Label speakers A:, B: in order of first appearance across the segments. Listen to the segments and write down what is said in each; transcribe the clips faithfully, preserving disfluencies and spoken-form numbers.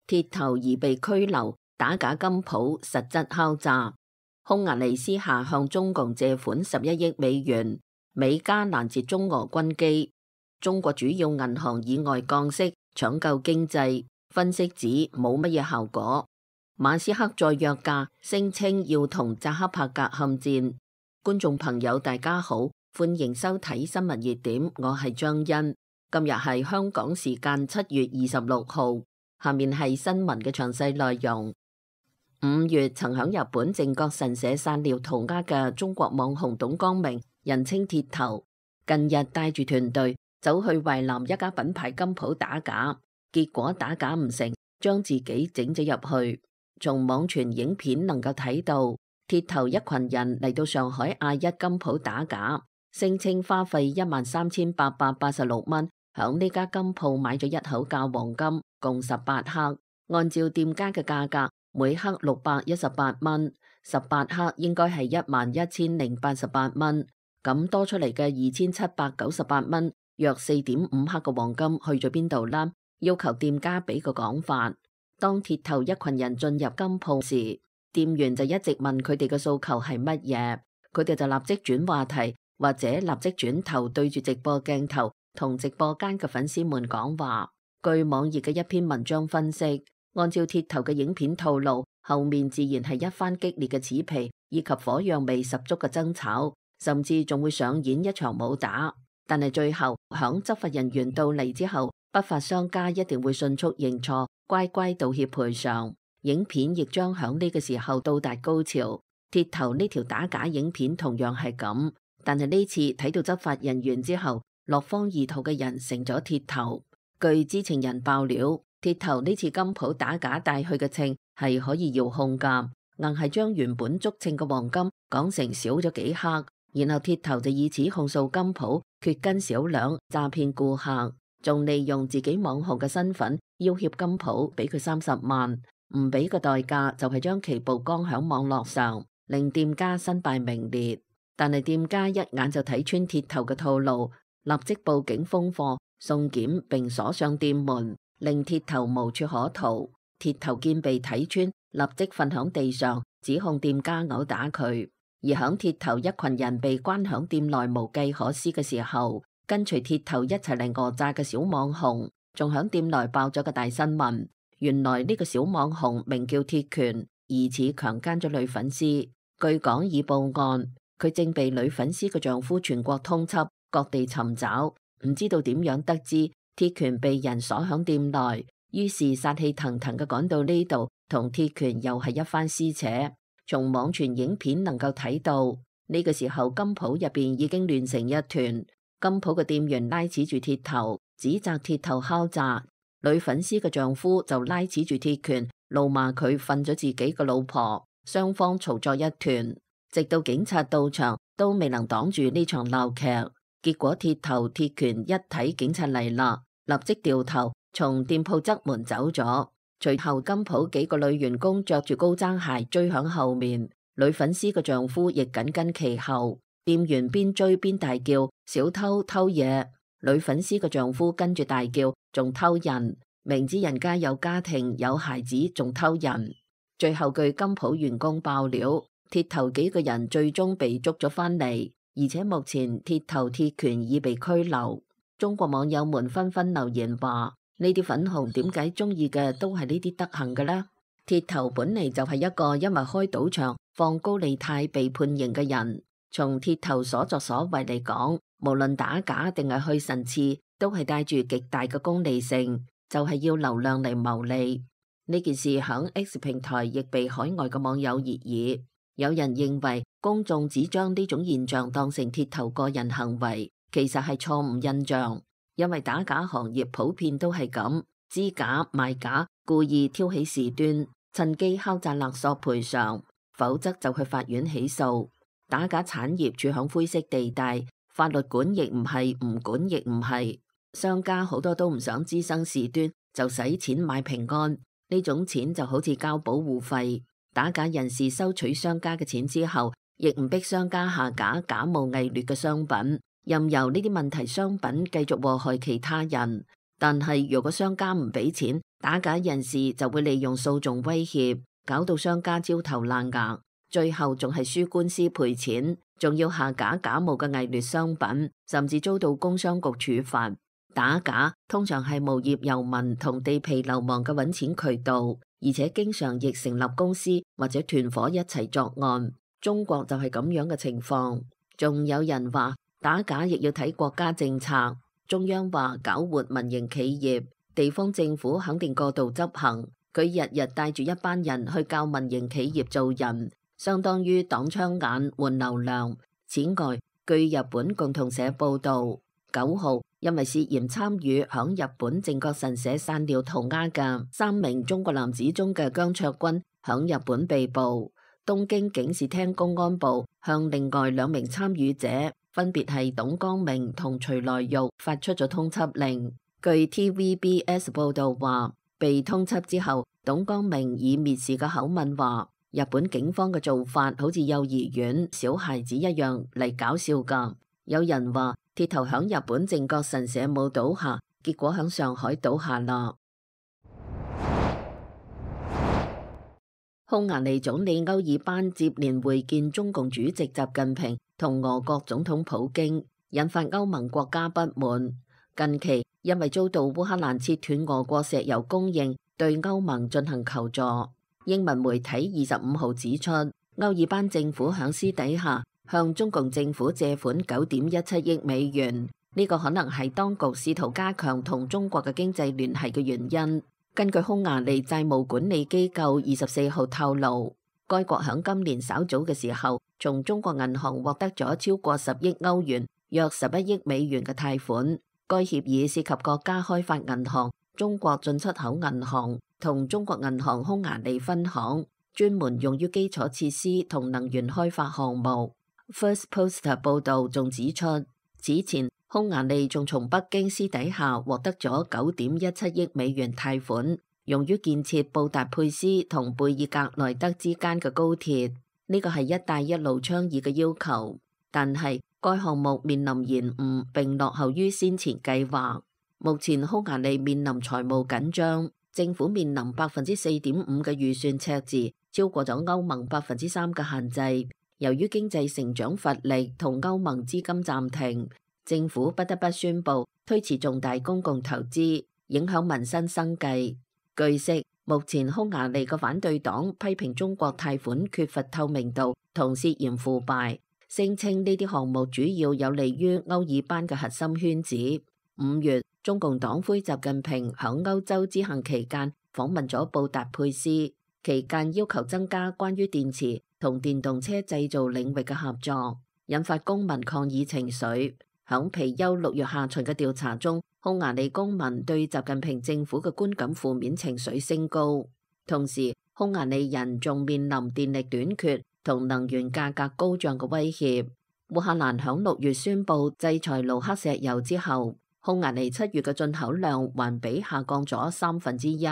A: 鐵頭疑被拘留，打假金鋪實質敲詐。匈牙利私下向中共借款十一億美元，美加攔截中俄軍機。中國主要銀行以外降息搶救經濟，分析指冇乜嘢效果。馬斯克再約架，聲稱要同扎克伯格撼戰。觀眾朋友大家好，歡迎收睇新聞熱點，我係張欣。今日係香港時間七月二十六號，下面係新聞嘅詳細內容。五月曾響日本靖國神社散尿塗鴉嘅中國網紅董光明，人稱鐵頭，近日帶住團隊走去淮南一家品牌金鋪打假，結果打假唔成，將自己整咗入去。從網傳影片能夠睇到，鐵頭一群人嚟到上海亞一金鋪打假，聲稱花費一萬三千八百八十六蚊，響呢家金鋪買咗一口價黃金，共十八克，按照店家嘅價格，每克六百一十八蚊，十八克應該係一萬一千零八十八蚊，咁多出嚟嘅二千七百九十八蚊，約四點五克嘅黃金去咗邊度啦？要求店家俾個講法。當鐵頭一群人進入金鋪時，店員就一直問佢哋嘅訴求係乜嘢，佢哋就立即轉話題，或者立即轉頭對住直播鏡頭同直播間嘅粉絲們講話。據網頁嘅一篇文章分析，按照鐵頭嘅影片套路，後面自然係一番激烈嘅扯皮以及火藥味十足嘅爭吵，甚至仲會上演一場武打。但係最後響執法人員到嚟之後，不法商家一定會迅速認錯，乖乖道歉賠償。影片亦將響呢個時候到達高潮。鐵頭呢條打假影片同樣係咁，但係呢次睇到執法人員之後，落荒而逃嘅人成咗鐵頭。據知情人爆料，鐵頭呢次金鋪打假帶去嘅稱係可以遙控㗎，硬係將原本足稱嘅黃金講成少咗幾克，然後鐵頭就以此控訴金鋪缺斤少兩，詐騙顧客。仲利用自己網紅嘅身份要挾金鋪俾佢三十萬，唔俾嘅代價就係將其曝光響網絡上，令店家身敗名裂。但係店家一眼就睇穿鐵頭嘅套路，立即報警封貨、送檢並鎖上店門，令鐵頭無處可逃。鐵頭見被睇穿，立即瞓響地上，指控店家毆打佢。而響鐵頭一群人被關響店內無計可施嘅時候，跟隨鐵頭一齊嚟訛詐嘅小網紅，仲響店內爆咗個大新聞。原來呢個小網紅名叫鐵拳，疑似強姦咗女粉絲。據講已報案，佢正被女粉絲嘅丈夫全國通緝，各地尋找。唔知道點樣得知鐵拳被人鎖響店內，於是殺氣騰騰嘅趕到呢度，同鐵拳又係一番撕扯。從網傳影片能夠睇到，呢個時候金鋪入邊已經亂成一團。金鋪嘅店員拉扯住鐵頭，指責鐵頭敲詐；女粉絲嘅丈夫就拉扯住鐵拳，怒罵佢瞓咗自己嘅老婆。雙方嘈作一團，直到警察到場都未能擋住呢場鬧劇。結果鐵頭鐵拳一睇警察嚟啦，立即掉頭從店鋪側門走咗。隨後金鋪幾個女員工着住高踭鞋追響後面，女粉絲嘅丈夫亦緊跟其後。店員邊追邊大叫：小偷偷嘢！女粉絲嘅丈夫跟住大叫：仲偷人！明知人家有家庭有孩子，仲偷人！最後據金鋪員工爆料，鐵頭幾個人最終被捉咗返嚟，而且目前鐵頭鐵拳已被拘留。中國網友們紛紛留言話：呢啲粉紅點解中意嘅都係呢啲德行嘅呢？鐵頭本嚟就係一個因為開賭場放高利貸被判刑嘅人。從鐵頭所作所為嚟講，無論打假定係去神刺，都係帶住極大嘅功利性，就係要流量嚟牟利。呢件事響 X 平台亦被海外嘅網友熱議。有人認為公眾只將呢種現象當成鐵頭個人行為，其實係錯誤印象，因為打假行業普遍都係咁，知假賣假，故意挑起事端，趁機敲詐勒索賠償，否則就去法院起訴。打假產業處響灰色地帶，法律管亦唔係，唔管亦唔係。商家好多都唔想滋生事端，就使錢買平安，呢種錢就好似交保護費。打假人士收取商家嘅錢之後，亦唔逼商家下架假冒偽劣嘅商品，任由呢啲問題商品繼續禍害其他人。但係如果商家唔俾錢，打假人士就會利用訴訟威脅，搞到商家焦頭爛額，最後仲係輸官司賠錢，仲要下架假冒嘅偽劣商品，甚至遭到工商局處罰。打假通常係無業遊民同地痞流氓嘅揾錢渠道，而且經常亦成立公司或者團夥一齊作案。中國就係咁樣嘅情況。仲有人話打假亦要睇國家政策，中央話搞活民營企業，地方政府肯定過度執行。佢日日帶住一班人去教民營企業做人，相當於擋槍眼換流量。此外，據日本共同社報道，九號因為涉嫌參與響日本靖國神社散尿塗鴉嘅三名中國男子中嘅姜卓軍響日本被捕。東京警視廳公安部向另外兩名參與者，分別係董光明同徐來玉，發出咗通緝令。據 T V B S 報道話，被通緝之後，董光明以蔑視嘅口吻話，日本警方嘅做法好似幼兒園小孩子一樣嚟搞笑噶。有人話鐵頭響日本靖國神社冇倒下，結果響上海倒下啦。匈牙利總理歐爾班接連會見中共主席習近平同俄國總統普京，引發歐盟國家不滿。近期因為遭到烏克蘭切斷俄國石油供應，對歐盟進行求助。英文媒體二十五號指出，歐爾班政府響私底下向中共政府借款九點一七億美元，呢個可能係當局試圖加強同中國嘅經濟聯繫嘅原因。根據匈牙利債務管理機構二十四號透露，該國響今年稍早嘅時候，從中國銀行獲得咗超過十億歐元，約十一億美元嘅貸款。該協議涉及國家開發銀行、中國進出口銀行同中國銀行匈牙利分行，專門用於基礎設施同能源開發項目。First Post 報道仲指出，此前匈牙利仲從北京私底下獲得咗九點一七億美元貸款，用於建設布達佩斯同貝爾格萊德之間嘅高鐵。呢個係一帶一路倡議嘅要求，但係該項目面臨延誤並落後於先前計劃。目前匈牙利面臨財務緊張，政府面臨百分之四點五嘅預算赤字，超過咗歐盟百分之三嘅限制。由於經濟成長乏力同歐盟資金暫停，政府不得不宣布推遲重大公共投資，影響民生生計。據悉，目前匈牙利嘅反對黨批評中國貸款缺乏透明度同涉嫌腐敗，聲稱呢啲項目主要有利於歐爾班嘅核心圈子。五月，中共黨魁習近平響歐洲之行期間訪問咗布達佩斯，期間要求增加關於電池同電動車製造領域嘅合作，引發公民抗議情緒。響皮尤六月下旬嘅調查中，匈牙利公民對習近平政府嘅觀感負面情緒升高。同時，匈牙利人仲面臨電力短缺同能源價格高漲嘅威脅。烏克蘭響六月宣布制裁盧克石油之後，匈牙利七月嘅進口量環比下降咗三分之一，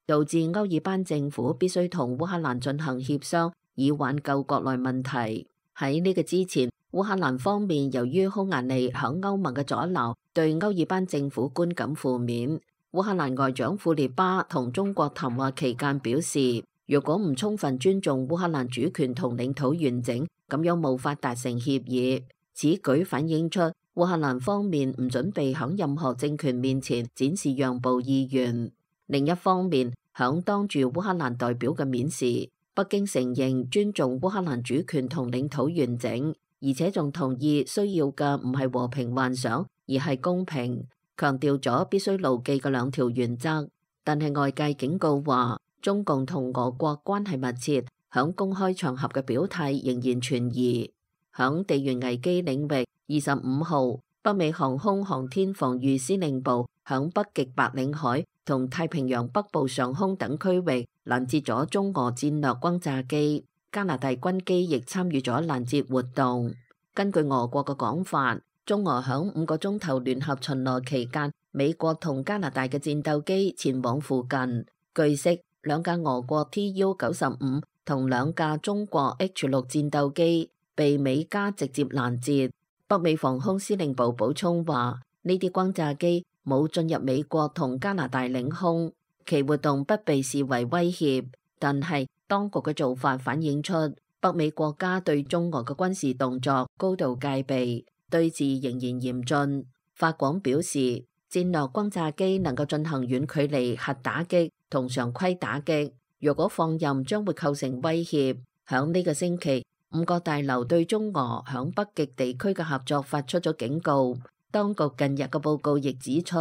A: 導致歐爾班政府必須同烏克蘭進行協商，以挽救國內問題。喺呢個之前，烏克蘭方面由於匈牙利響歐盟嘅阻撓，對歐爾班政府觀感負面。烏克蘭外長庫列巴同中國談話期間表示，如果唔充分尊重烏克蘭主權同領土完整，咁樣無法達成協議。此舉反映出烏克蘭方面唔準備響任何政權面前展示讓步意願。另一方面，響當住烏克蘭代表嘅面時，北京承認尊重烏克蘭主權同領土完整，而且仲同意需要嘅唔係和平幻想，而係公平，強調咗必須牢記嘅兩條原則。但係外界警告話，中共同俄國關係密切，響公開場合嘅表態仍然存疑。響地緣危機領域，二十五號，北美航空航天防禦司令部響北極白令海同太平洋北部上空等區域攔截咗中俄戰略轟炸機，加拿大軍機亦參與咗攔截活動。根據俄國嘅講法，中俄響五個鐘頭聯合巡邏期間，美國同加拿大嘅戰鬥機前往附近。據悉，兩架俄國 T U 九十五同兩架中國 H 六戰鬥機被美加直接攔截。北美防空司令部補充話，呢啲轟炸機冇進入美國同加拿大領空，其活動不被視為威脅，但係當局嘅做法反映出北美國家對中俄嘅軍事動作高度戒備，對峙仍然嚴峻。法廣表示，戰略轟炸機能夠進行遠距離核打擊同常規打擊，若果放任將會構成威脅。響呢個星期，五角大樓對中俄響北極地區嘅合作發出咗警告。當局近日嘅報告亦指出，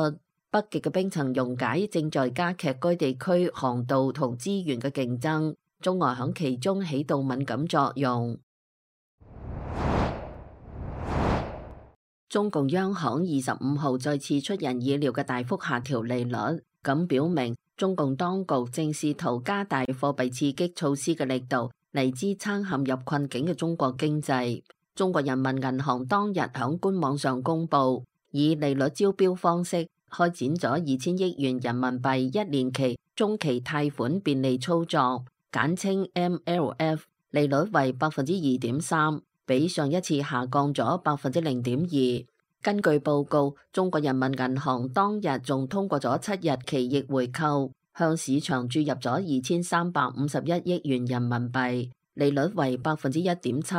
A: 北極嘅冰層溶解正在加劇該地區航道同資源嘅競爭，中俄響其中起到敏感作用。中共央行二十五號再次出人意料嘅大幅下調利率，咁表明中共當局正試圖加大貨幣刺激措施嘅力度嚟支撐陷入困境嘅中國經濟。中國人民銀行當日響官網上公布，以利率招標方式開展咗二千億元人民幣一年期中期貸款便利操作，簡稱 M L F， 利率為百分之二點三。比上一次下降咗百分之零點二。根據報告，中國人民銀行當日仲通過咗七日期逆回購，向市場注入咗二千三百五十一億元人民幣，利率為百分之一點七。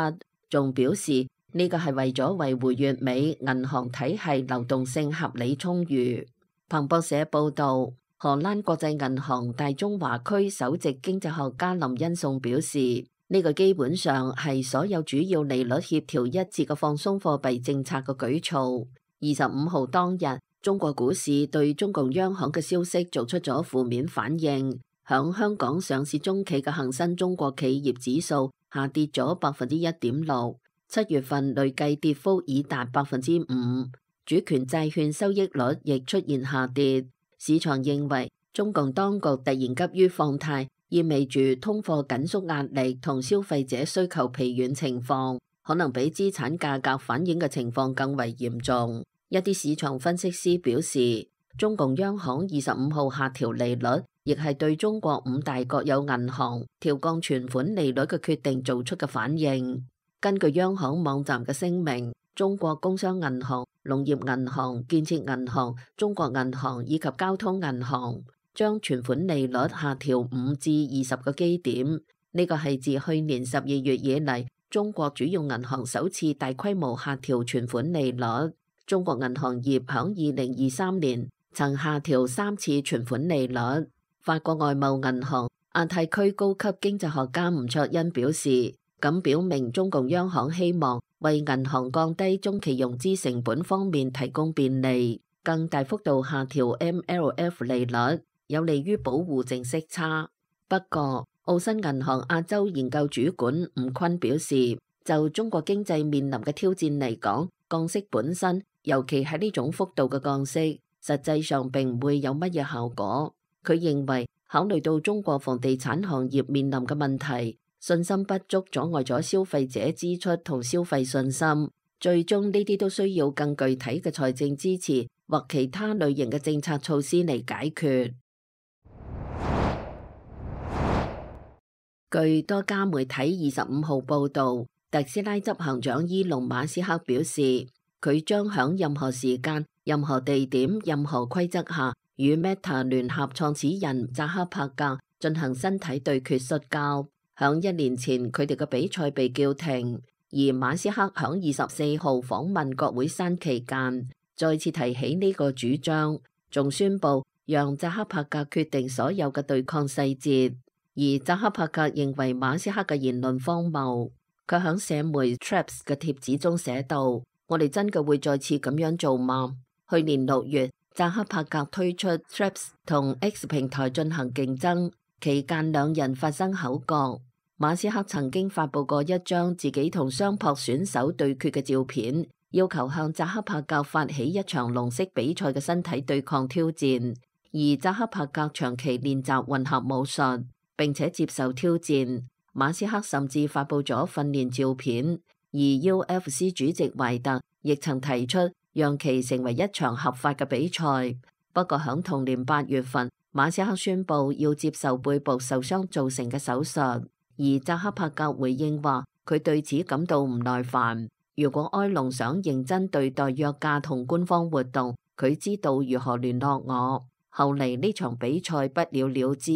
A: 仲表示呢個係為咗維護粵美銀行體系流動性合理充裕。彭博社報道，荷蘭國際銀行大中華區首席經濟學家林恩頌表示，呢個基本上係所有主要利率協調一致嘅放鬆貨幣政策嘅舉措。二十五號當日，中國股市對中共央行嘅消息做出咗負面反應，響香港上市中企嘅恒生中國企業指數下跌咗百分之一點六，七月份累計跌幅已達百分之五。主權債券收益率亦出現下跌，市場認為中共當局突然急於放貸，意味住通貨緊縮壓力同消費者需求疲軟情況，可能比資產價格反映嘅情況更為嚴重。一啲市場分析師表示，中共央行二十五號下調利率，亦係對中國五大國有銀行調降存款利率嘅決定做出嘅反應。根據央行網站嘅聲明，中國工商銀行、農業銀行、建設銀行、中國銀行以及交通銀行將存款利率下調五至二十個基點，呢個係自去年十二月以嚟中國主要銀行首次大規模下調存款利率。中國銀行業響二零二三年曾下調三次存款利率。法國外貿銀行亞太區高級經濟學家吳卓恩表示，咁表明中共央行希望為銀行降低中期融資成本方面提供便利，更大幅度下調 M L F 利率，有利於保護淨息差。不過，澳新銀行亞洲研究主管吳坤表示，就中國經濟面臨嘅挑戰嚟講，降息本身，尤其係呢種幅度嘅降息，實際上並唔會有乜嘢效果。佢認為，考慮到中國房地產行業面臨嘅問題，信心不足阻礙咗消費者支出同消費信心，最終呢啲都需要更具體嘅財政支持或其他類型嘅政策措施嚟解決。據多家媒體二十五號報導，特斯拉執行長伊隆馬斯克表示，佢將響任何時間、任何地點、任何規則下，與 Meta 聯合創始人扎克伯格進行身體對決摔跤。響一年前，佢哋嘅比賽被叫停，而馬斯克響二十四號訪問國會山期間，再次提起呢個主張，仲宣布讓扎克伯格決定所有嘅對抗細節。而扎克伯格認為馬斯克嘅言論荒謬，佢響社媒 Threads 嘅貼子中寫道：我哋真嘅會再次咁樣做嗎？去年六月，扎克伯格推出 Threads 同 X 平台進行競爭，期間兩人發生口角。馬斯克曾經發佈過一張自己同相撲選手對決嘅照片，要求向扎克伯格發起一場龍式比賽嘅身體對抗挑戰。而扎克伯格長期練習混合武術，並且接受挑戰。馬斯克甚至發佈咗訓練照片。而 U F C 主席懷特亦曾提出讓其成為一場合法嘅比賽。不過響同年八月份，馬斯克宣布要接受背部受傷造成嘅手術，而扎克伯格回應話佢對此感到唔耐煩。如果埃隆想認真對待約架同官方活動，佢知道如何聯絡我。後嚟呢場比賽不了了之。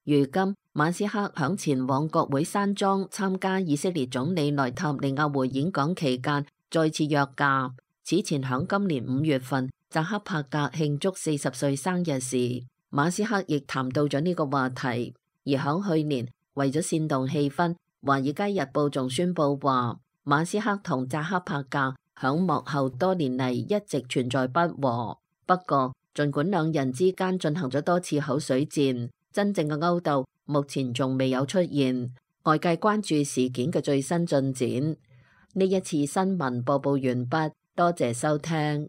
A: 如今馬斯克響前往國會山莊參加以色列總理內塔尼亞胡演講期間再次約架。此前響今年五月份扎克伯格慶祝四十歲生日時，馬斯克亦談到咗呢個話題。而響去年為咗煽動氣氛，華爾街日報仲宣布話馬斯克同扎克伯格響幕後多年嚟一直存在不和。不過儘管兩人之間進行咗多次口水戰，真正嘅勾鬥目前仲未有出現。外界關注事件嘅最新進展。呢一次新聞播報完畢，多謝收聽。